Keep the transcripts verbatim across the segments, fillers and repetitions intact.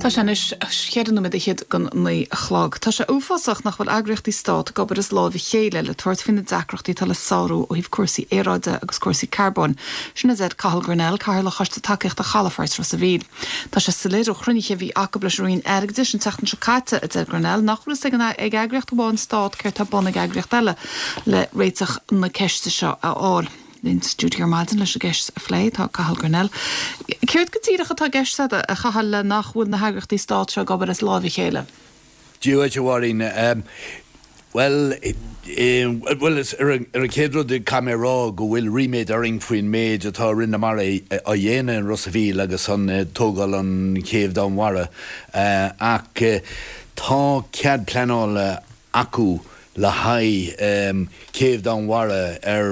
Tá sé anois cheithre nóiméad fhichead don naoi a chlog. Tá sé uafásach nach bhfuil eagraíochtaí stát ag obair as láimh a chéile le tabhairt faoi na deacrachtaí atá le sárú ó thaobh cúrsaí aeráide agus cúrsaí carbóin. Sin a deir Cathal Grennell, Cathaoirleach Choiste Tacaíochta Chalafort Ros a' Mhíl. Tá sé soiléir ó chruinnithe a bhí acu leis an Roinn Airgeadais an tseachtain seo caite a deir Grennell nach bhfuil fhios ag an ag eagraíocht amháin stát céard atá ar bun ag eagraíocht eile le réiteach na ceiste seo a fháil. Linn sa stiúideo ar maidin leis an gceist a phlé tá Cathal Grennell. Céard go díreach atá i gceist agat a Chathail le nach bhfuil na heagraíochtaí stát seo ag obair as láimh a chéile. Dia duit a Mháirín Well well ar an chéad rud caithfidh mé rá go bhfuil ríméad orainn faoin méid atá Roinn na Mara á dhéanamh in Ros a' Mhíl agus an tógáil an chéibh domhainmhara ach tá cead pleanála acu le haghaidh céibh domhainmhara ar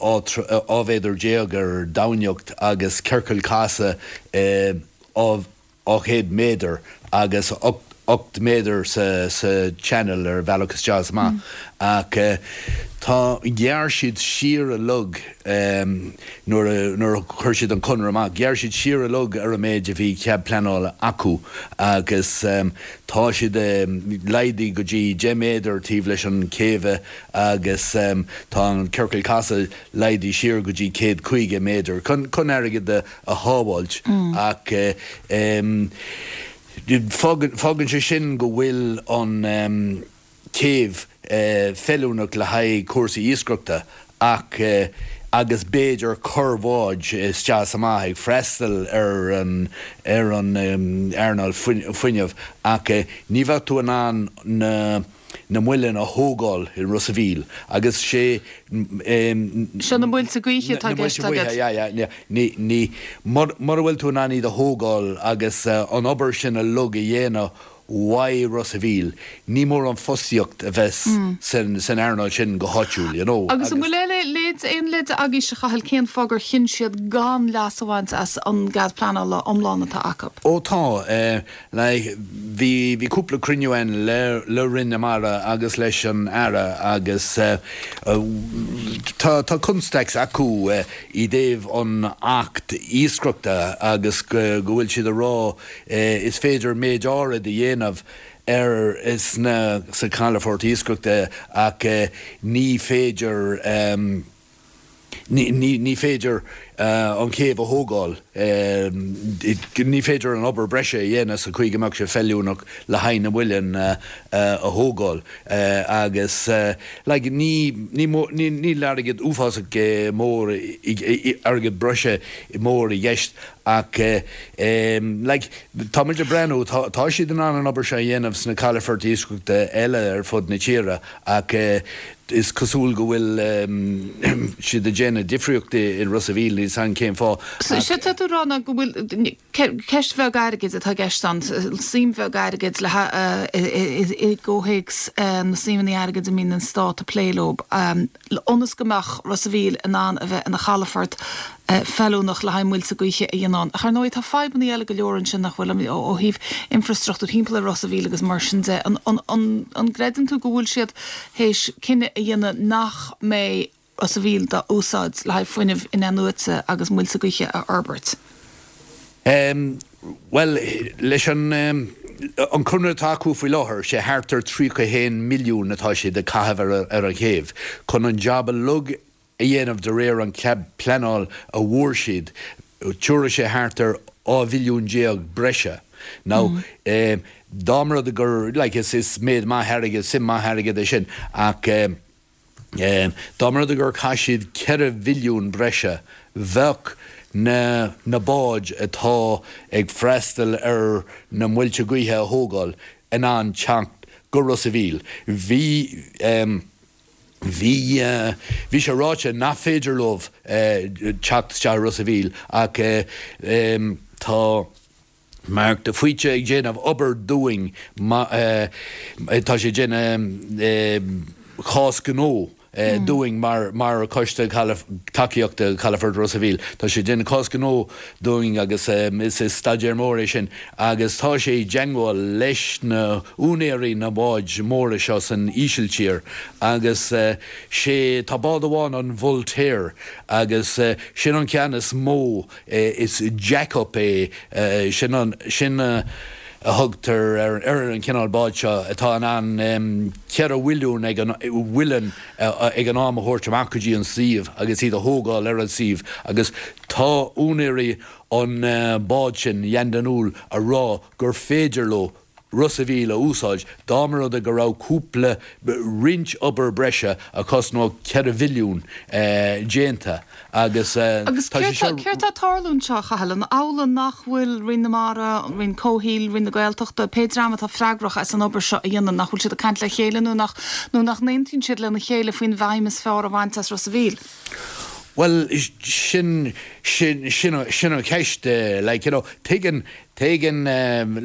dhá mhéadar déag ar domhainneacht agus ciorcal casadh dhá chéad méadar agus ocht méadar sa sa channel ar bhealach isteach is amach ach tá ghearr siad siar a log nuair nuair a chuir siad an conradh amach ghearr siad siar a log ar an méid a bhí cead pleanála acu agus tá siad laghdaithe go dtí deich méadar taobh leis an céibh agus tá an ciorcal casadh laghdaithe siar go dtí céad caoga méadar chun chun airgead a shábháilt ach fágann sé sin go bhfuil an céibh feiliúnach le haghaidh cúrsaí iascaireachta ach agus b'fhéidir corrbhád isteach amach ag freastal ar an ar an earnáil fuinnimh ach ní bheadh tú in ann na na muilinn a thógáil i Ros a' Mhíl agus sé Seo na muilte gaoithe atá i gceist agat. Ní ní mura bhfuil tú in ann iad a thógáil agus an obair sin a log a dhéanamh uaidh Ros a' Mhíl, ní mór an fostaíocht a bheith san san earnáil sin go háitiúil, you know. Agus an bhfuil leid aon leid agaibhse a Chathail cén fáth gur chinn siad gan leas a bhaint as an gcead pleanála iomlán atá acu? Ó tá, like bhí bhí cúpla cruinniú ann le le Roinn na Mara agus leis an Aire agus tá tá constaic acu i dtaobh an Acht iascaireachta agus go bhfuil siad a rá is féidir méid áirid a dhéanamh ar sna sa calafort iascaireachta ach ní féidir ní ní féidir an chéibh a thógáil ní féidir an obair breise a dhéanamh sa chaoi go mbeadh sé feiliúnach le haghaidh na muilinn a thógáil agus like ní ní níl airgead uafásach mór airgead breise mór i gceist ach like tá muid ag breathnú tá siad in ann an obair seo a dhéanamh sna calafoirt iascaireachta eile ar fud na tíre ach is cosúil go bhfuil siad ag déanamh difríocht i Ros a' Mhíl níl san cén fáth. Sé tá tú rá ná go bhfuil ceist bheag airgid atá i gceist ann, suim bheag airgid le i gcomhthéacs na suimeanna airgid a mbíonn an stát ag plé leo, ionas go mbeadh Ros a' Mhíl in ann a bheith ina chalafort feiliúnach le haghaidh muilte gaoithe a dhéanamh. Ach ar ndóigh tá fadhbanna eile go leor ansin nach bhfuil ó thaobh infrastruchtúr timpeall ar Ros a' Mhíl agus mar sin de. An gcreideann tú go bhfuil siad théis cinneadh a dhéanamh nach mbeidh Ros a' Mhíl dá úsáid le haghaidh fuinneamh in-athnuaite agus muilte gaoithe a fhorbairt? Um, well leis an um, an conradh atá acu faoi láthair sé thart ar tríocha haon milliún atá siad ag caitheamh ar, ar an chéibh chun an job a lug a dhéanamh de réir an cead pleanála a bhfuair siad tabharfaidh sé thart ar dhá mhilliún déag breise. Now mm. eh, dá mba rud gur like, is is méid maith airgid suim maith airgid é sin ach eh, eh, dá mba rud gur chaith siad ceithre mhilliún breise bheadh na na báid atá ag freastal ar na muilte gaoithe a thógáil in ann teacht go Ros a' Mhíl. Bhí um, Bhí uh, bhí sé ráite nach féidir leo uh, teacht isteach Ros a' Mhíl ach uh, um, tá Mark de Faoite ag déanamh obair dúinn uh, tá sé déanamh uh, chás gnó uh, dúinn mar mar coiste tacaíochta Calafort Ros a' Mhíl. Tá sé déanamh cás gnó dúinn agus um, is is staidéar mór é sin agus tá sé i dteagmháil leis na úinéirí na báid móra seo san Ísiltír agus uh, sé tá bád amháin an Voltaire agus uh, sin an ceann is mó uh, is jack-up é uh, sin an sin uh, a thugtar ar ar an cineál báid seo atá in ann ceithre mhilliún ag an mhuileann ag an am a thabhairt amach go dtí an suíomh agus iad a thógáil ar an suíomh agus tá úinéirí an báid sin Jan De Nul a rá gur féidir leo Ros a' Mhíl a úsáid dá mba rud é go raibh cúpla roinnt obair breise a chosnódh ceithre mhilliún déanta agus Agus tá sé seo. Céard atá ag tarlú anseo, a Chathail, an amhlaidh nach bhfuil Roinn na Mara, an Roinn Comhshaoil, Roinn na Gaeltachta, pé dream atá freagrach as an obair seo a dhéanamh, nach bhfuil siad ag caint le chéile nó nach nó nach n-aontaíonn siad lena chéile faoin bhfeidhm is fearr a bhaint as Ros a' Mhíl? Bhuel sin sin sin sin an cheist like you know tuigeann tuigeann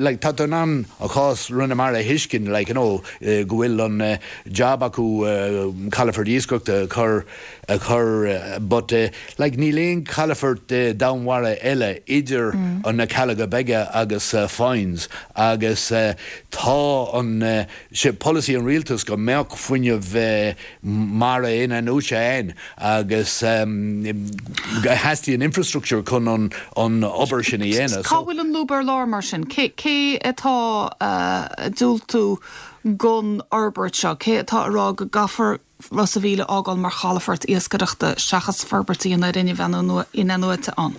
like tá tú in ann a chás Roinn na Mara a thuiscint like you know go bhfuil an job acu calafort iascaireachta a chur a chur but like níl aon calafort domhainmhara eile idir an na Cealla Beaga agus Foynes agus tá an sé polasaí an rialtas go mbeadh fuinneamh mara in-athnuaite ann agus theastaíonn infrastructure chun an an obair sin a dhéanamh. Cá bhfuil an lúb ar lár mar sin? Cé cé atá ag diúltú don fhorbairt seo? Cé atá ag rá go gcaithfear Ros a' Mhíl a fhágáil mar chalafort iascaireachta seachas forbairt a dhéanamh ar fhuinneamh in-athnuaite ann?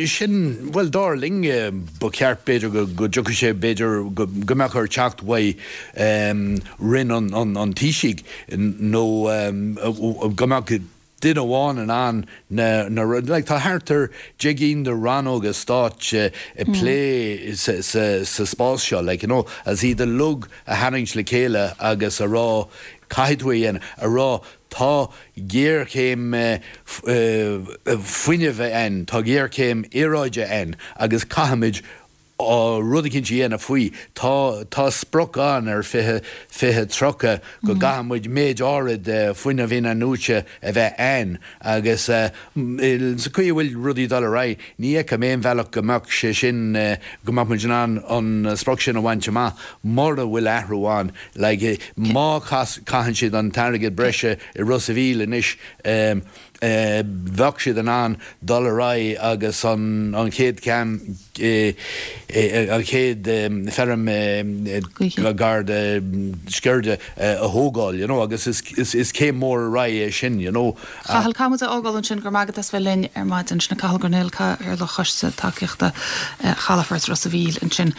Sin, bhuel, dar linn, ba cheart b'fhéidir go go dtiocfadh sé b'fhéidir go go mbeadh air teacht uaidh Roinn an an an Taoisigh nó go mbeadh duine amháin in ann na na like tá thart ar deich gcinn de rannóga stáit ag plé sa sa sa spás seo like you know as iad uilig a tharraingt le chéile agus a rá caithfidh tú é a dhéanamh a rá tá géarchéim fuinnimh ann tá géarchéim aeráide ann agus caithfimid rud eicínt a dhéanamh faoi. Tá tá sprioc ann ar fiche fiche tríocha go gcaithfidh muid méid áirid fuinneamh in-athnuaite a bheith ann agus sa chaoi a bhfuil rudaí ag dul ar aghaidh ní fheicim aon bhealach go mbeadh sé sin go mbeadh muid in ann an sprioc sin a bhaint amach mura bhfuil athrú ann. Like má chaitheann siad an t-airgead breise i Ros a' Mhíl anois bheadh siad in ann dul ar aghaidh agus an an chéad cheann an chéad feirm gar do Sceirde a thógáil you know agus is is is céim mór ar aghaidh é sin you know. Cathal, caithfidh muid a fhágáil ansin go raibh maith agat as bheith linn ar maidin. Sin Cathal Grenell, Cathaoirleach Choiste Tacaíochta Chalafort Ros a' Mhíl ansin.